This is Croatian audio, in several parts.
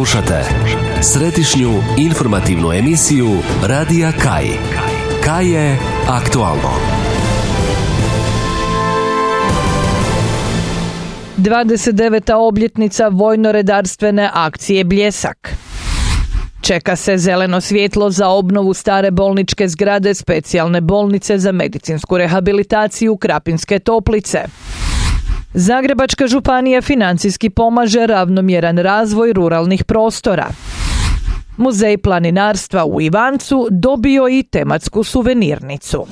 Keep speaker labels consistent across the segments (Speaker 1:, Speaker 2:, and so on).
Speaker 1: Slušate središnju informativnu emisiju Radija Kaj. Kaj je aktualno.
Speaker 2: 29. obljetnica vojno-redarstvene akcije Bljesak. Čeka se zeleno svjetlo za obnovu stare bolničke zgrade specijalne bolnice za medicinsku rehabilitaciju Krapinske Toplice. Zagrebačka županija financijski pomaže ravnomjeran razvoj ruralnih prostora. Muzej planinarstva u Ivancu dobio i tematsku suvenirnicu.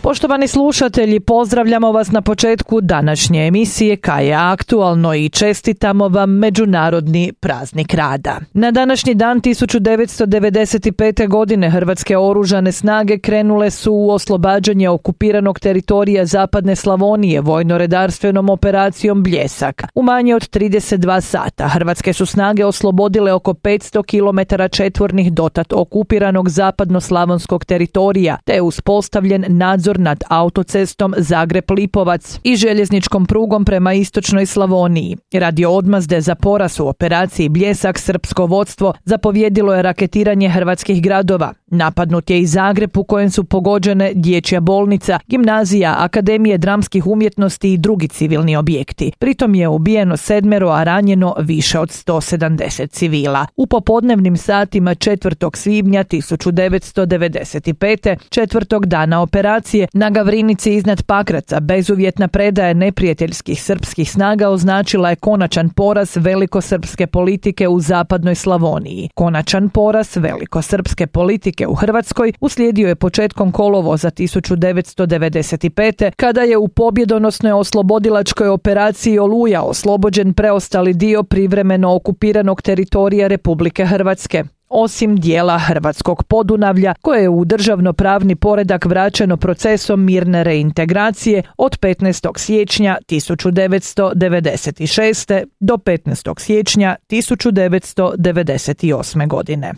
Speaker 2: Poštovani slušatelji, pozdravljamo vas na početku današnje emisije Kaj je aktualno i čestitamo vam Međunarodni praznik rada. Na današnji dan 1995. godine Hrvatske oružane snage krenule su u oslobađanje okupiranog teritorija Zapadne Slavonije vojno-redarstvenom operacijom Bljesak. U manje od 32 sata Hrvatske su snage oslobodile oko 500 km četvornih dotad okupiranog zapadno-slavonskog teritorija, te je uspostavljen nadzor nad autocestom Zagreb-Lipovac i željezničkom prugom prema istočnoj Slavoniji. Radi odmazde za poraz u operaciji Bljesak srpsko vodstvo zapovjedilo je raketiranje hrvatskih gradova. Napadnut je i Zagreb u kojem su pogođene dječja bolnica, gimnazija, akademije dramskih umjetnosti i drugi civilni objekti. Pritom je ubijeno 7, a ranjeno više od 170 civila. U popodnevnim satima 4. svibnja 1995. četvrtog dana operacije na Gavrinici iznad Pakraca bezuvjetna predaja neprijateljskih srpskih snaga označila je konačan poraz velikosrpske politike u zapadnoj Slavoniji. Konačan poraz velikosrpske politike u Hrvatskoj uslijedio je početkom kolovoza 1995. kada je u pobjedonosnoj oslobodilačkoj operaciji Oluja oslobođen preostali dio privremeno okupiranog teritorija Republike Hrvatske, osim dijela hrvatskog Podunavlja koje je u državno-pravni poredak vraćeno procesom mirne reintegracije od 15. siječnja 1996. do 15. siječnja 1998. godine.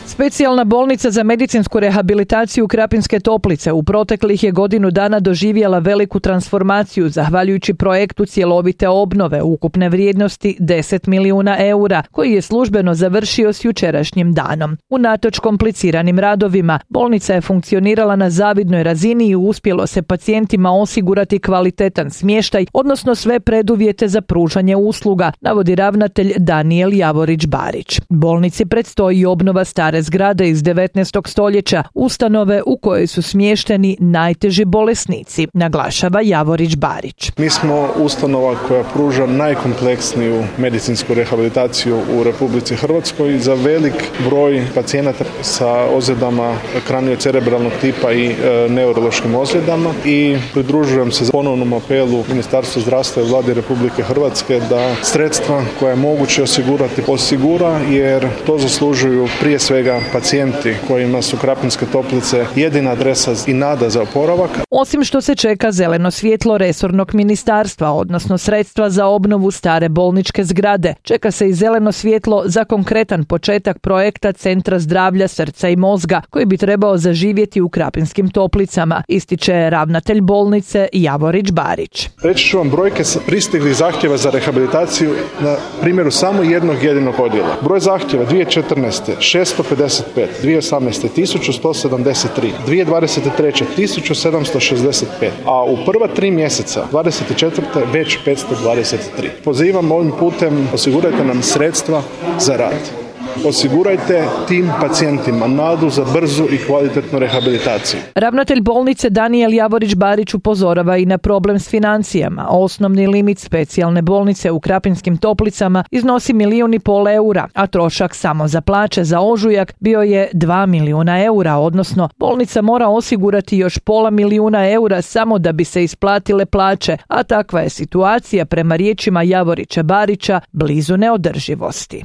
Speaker 2: Specijalna bolnica za medicinsku rehabilitaciju Krapinske Toplice u proteklih je godinu dana doživjela veliku transformaciju zahvaljujući projektu cjelovite obnove ukupne vrijednosti 10 milijuna eura koji je službeno završio s jučerašnjim danom. Unatoč kompliciranim radovima, bolnica je funkcionirala na zavidnoj razini i uspjelo se pacijentima osigurati kvalitetan smještaj, odnosno sve preduvjete za pružanje usluga, navodi ravnatelj Danijel Javorić-Barić. Bolnici predstoji obnova stare zgrade iz 19. stoljeća, ustanove u kojoj su smješteni najteži bolesnici, naglašava Javorić-Barić.
Speaker 3: Mi smo ustanova koja pruža najkompleksniju medicinsku rehabilitaciju u Republici Hrvatskoj za velik broj pacijenata sa ozljedama kraniocerebralnog tipa i neurološkim ozljedama i pridružujem se ponovnom apelu Ministarstva zdravstva i Vlade Republike Hrvatske da sredstva koja je moguće osigurati osigura, jer to zaslužuju prije svega pacijenti kojima su Krapinske Toplice jedina adresa i nada za oporavak.
Speaker 2: Osim što se čeka zeleno svjetlo resornog ministarstva, odnosno sredstva za obnovu stare bolničke zgrade, čeka se i zeleno svjetlo za konkretan početak projekta Centra zdravlja srca i mozga, koji bi trebao zaživjeti u Krapinskim Toplicama, ističe ravnatelj bolnice Javorić-Barić.
Speaker 3: Reći ću vam brojke pristiglih zahtjeva za rehabilitaciju na primjeru samo jednog jedinog odjela. Broj zahtjeva 2014. 655, 2018. 1173, 2023. 1765, a u prva 3 mjeseca 24. već 523. Pozivam ovim putem, osigurajte nam sredstva za rad. Osigurajte tim pacijentima nadu za brzu i kvalitetnu rehabilitaciju.
Speaker 2: Ravnatelj bolnice Danijel Javorić-Barić upozorava i na problem s financijama. Osnovni limit specijalne bolnice u Krapinskim Toplicama iznosi 1,5 milijuna eura, a trošak samo za plaće za ožujak bio je 2 milijuna eura, odnosno bolnica mora osigurati još 0,5 milijuna eura samo da bi se isplatile plaće, a takva je situacija prema riječima Javorića-Barića blizu neodrživosti.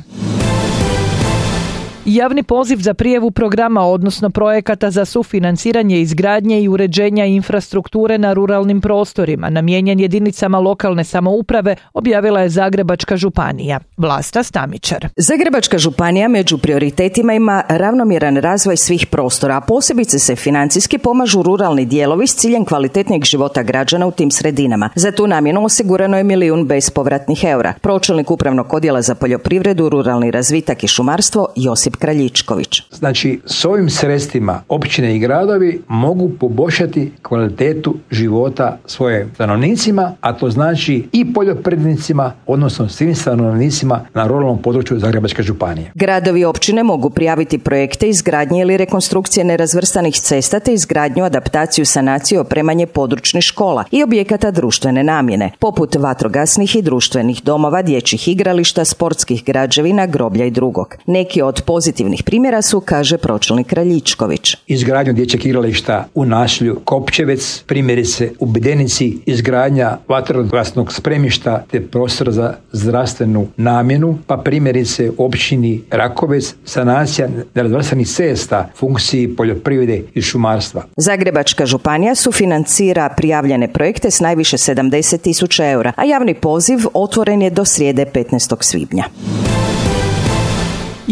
Speaker 2: Javni poziv za prijavu programa, odnosno projekata za sufinanciranje izgradnje i uređenja infrastrukture na ruralnim prostorima, namijenjen jedinicama lokalne samouprave, objavila je Zagrebačka županija. Vlasta Stamičar.
Speaker 4: Zagrebačka županija među prioritetima ima ravnomjeran razvoj svih prostora, a posebice se financijski pomažu ruralni dijelovi s ciljem kvalitetnijeg života građana u tim sredinama. Za tu namjenu osigurano je 1 milijun bespovratnih eura. Pročelnik Upravnog odjela za poljoprivredu, ruralni razvitak i šumarstvo Josip Kraljičković.
Speaker 5: Znači, s ovim sredstvima općine i gradovi mogu poboljšati kvalitetu života svojim stanovnicima, a to znači i poljoprivrednicima, odnosno svim stanovnicima na ruralnom području Zagrebačke županije.
Speaker 4: Gradovi i općine mogu prijaviti projekte izgradnje ili rekonstrukcije nerazvrstanih cesta te izgradnju, adaptaciju, sanaciju, opremanje područnih škola i objekata društvene namjene, poput vatrogasnih i društvenih domova, dječjih igrališta, sportskih građevina, groblja i drugog. Neki od pozitivnih primjera su, kaže pročelnik Kraljičković.
Speaker 5: Izgradnju dječjeg igrališta u naselju Kopčevec, primjerice u Bedenici, izgradnja vatrogasnog spremišta te prostor za zdravstvenu namjenu, pa primjerice u općini Rakovec, sanacija nerazvrstanih cesta, funkciji poljoprivrede i šumarstva.
Speaker 4: Zagrebačka županija sufinancira prijavljene projekte s najviše 70.000 eura, a javni poziv otvoren je do srijede 15. svibnja.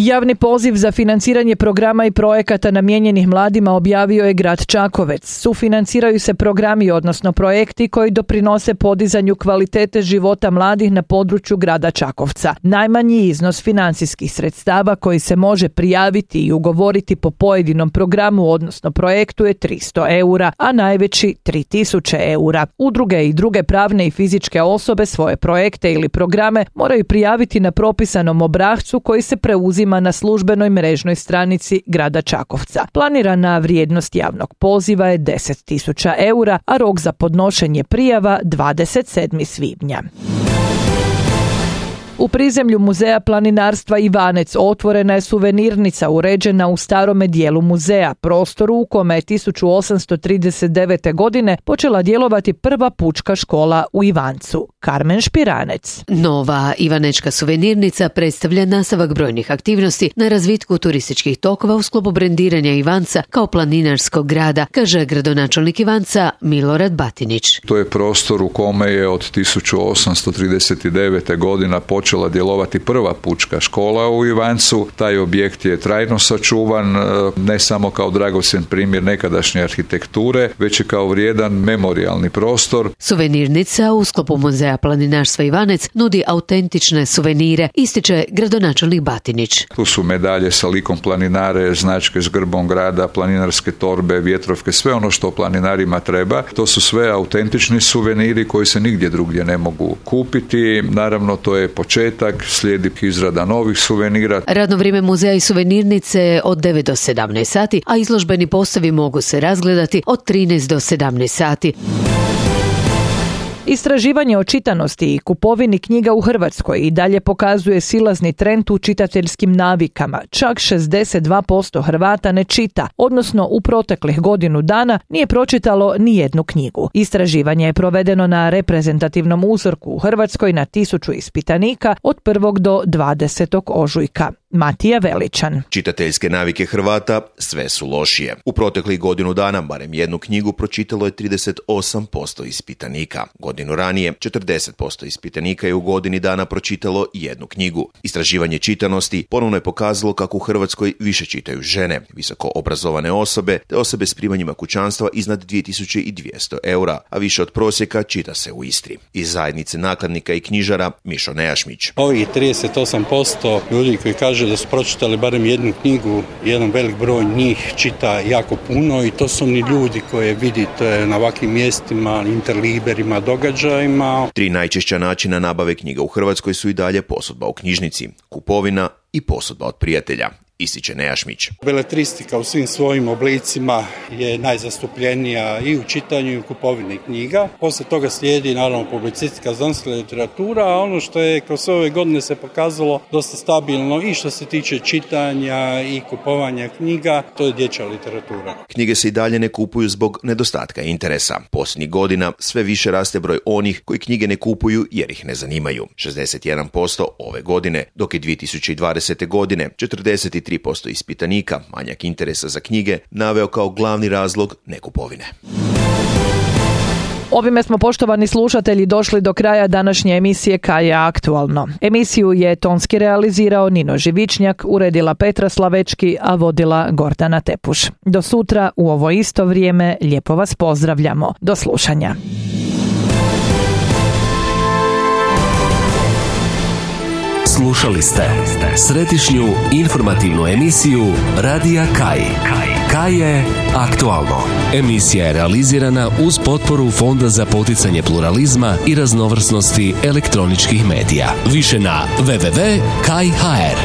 Speaker 2: Javni poziv za financiranje programa i projekata namijenjenih mladima objavio je grad Čakovec. Sufinanciraju se programi, odnosno projekti koji doprinose podizanju kvalitete života mladih na području grada Čakovca. Najmanji iznos financijskih sredstava koji se može prijaviti i ugovoriti po pojedinom programu, odnosno projektu, je 300 eura, a najveći 3000 eura. Udruge i druge pravne i fizičke osobe svoje projekte ili programe moraju prijaviti na propisanom obrascu koji se preuzima na službenoj mrežnoj stranici grada Čakovca. Planirana vrijednost javnog poziva je 10.000 eura, a rok za podnošenje prijava 27. svibnja. U prizemlju Muzeja planinarstva Ivanec otvorena je suvenirnica uređena u starome dijelu muzeja, prostoru u kome je 1839. godine počela djelovati prva pučka škola u Ivancu. Karmen Špiranec.
Speaker 6: Nova ivanečka suvenirnica predstavlja nastavak brojnih aktivnosti na razvitku turističkih tokova u sklopu brendiranja Ivanca kao planinarskog grada, kaže gradonačelnik Ivanca Milorad Batinić.
Speaker 7: To je prostor u kome je od 1839. godina počela djelovati prva pučka škola u Ivancu. Taj objekt je trajno sačuvan, ne samo kao dragocjen primjer nekadašnje arhitekture, već i kao vrijedan memorijalni prostor.
Speaker 6: Suvenirnica u sklopu Muzeja planinarstva Ivanec nudi autentične suvenire, ističe gradonačelnik Batinić.
Speaker 7: Tu su medalje sa likom planinare, značke s grbom grada, planinarske torbe, vjetrovke, sve ono što planinarima treba. To su sve autentični suveniri koji se nigdje drugdje ne mogu kupiti. Naravno, to je početak, slijedi izrada novih suvenira.
Speaker 6: Radno vrijeme muzeja i suvenirnice od 9 do 17 sati, a izložbeni postavi mogu se razgledati od 13 do 17 sati.
Speaker 2: Istraživanje o čitanosti i kupovini knjiga u Hrvatskoj i dalje pokazuje silazni trend u čitateljskim navikama. Čak 62% Hrvata ne čita, odnosno u proteklih godinu dana nije pročitalo ni jednu knjigu. Istraživanje je provedeno na reprezentativnom uzorku u Hrvatskoj na 1000 ispitanika od 1. do 20. ožujka. Matija Veličan.
Speaker 8: Čitateljske navike Hrvata sve su lošije. U proteklih godinu dana barem jednu knjigu pročitalo je 38% ispitanika. Godinu ranije 40% ispitanika je u godini dana pročitalo jednu knjigu. Istraživanje čitanosti ponovno je pokazalo kako u Hrvatskoj više čitaju žene, visoko obrazovane osobe te osobe s primanjima kućanstva iznad 2200 eura, a više od prosjeka čita se u Istri. Iz zajednice nakladnika i knjižara Mišo Nejašmić.
Speaker 9: Ovih 38% ljudi koji kažu da su pročitali barem jednu knjigu, jedan velik broj njih čita jako puno i to su oni ljudi koje vidite na ovakvim mjestima, interliberima, događajima.
Speaker 8: 3 najčešća načina nabave knjiga u Hrvatskoj su i dalje posudba u knjižnici, kupovina i posudba od prijatelja, ističe Nejašmić.
Speaker 9: Beletristika u svim svojim oblicima je najzastupljenija i u čitanju i u kupovini knjiga. Poslije toga slijedi naravno publicistika, znanstvena literatura, a ono što je kroz ove godine se pokazalo dosta stabilno i što se tiče čitanja i kupovanja knjiga, to je dječja literatura.
Speaker 8: Knjige se i dalje ne kupuju zbog nedostatka interesa. Posljednjih godina sve više raste broj onih koji knjige ne kupuju jer ih ne zanimaju. 61% ove godine, dok je 2020. godine 43% 33% ispitanika manjak interesa za knjige naveo kao glavni razlog nekupovine.
Speaker 2: Ovime smo, poštovani slušatelji, došli do kraja današnje emisije Kaj je aktualno. Emisiju je tonski realizirao Nino Živičnjak, uredila Petra Slavečki, a vodila Gordana Tepuš. Do sutra u ovo isto vrijeme lijepo vas pozdravljamo. Do slušanja.
Speaker 1: Slušali ste središnju informativnu emisiju Radija Kaj. Kaj je aktualno. Emisija je realizirana uz potporu Fonda za poticanje pluralizma i raznovrsnosti elektroničkih medija. Više na www.kaj.hr.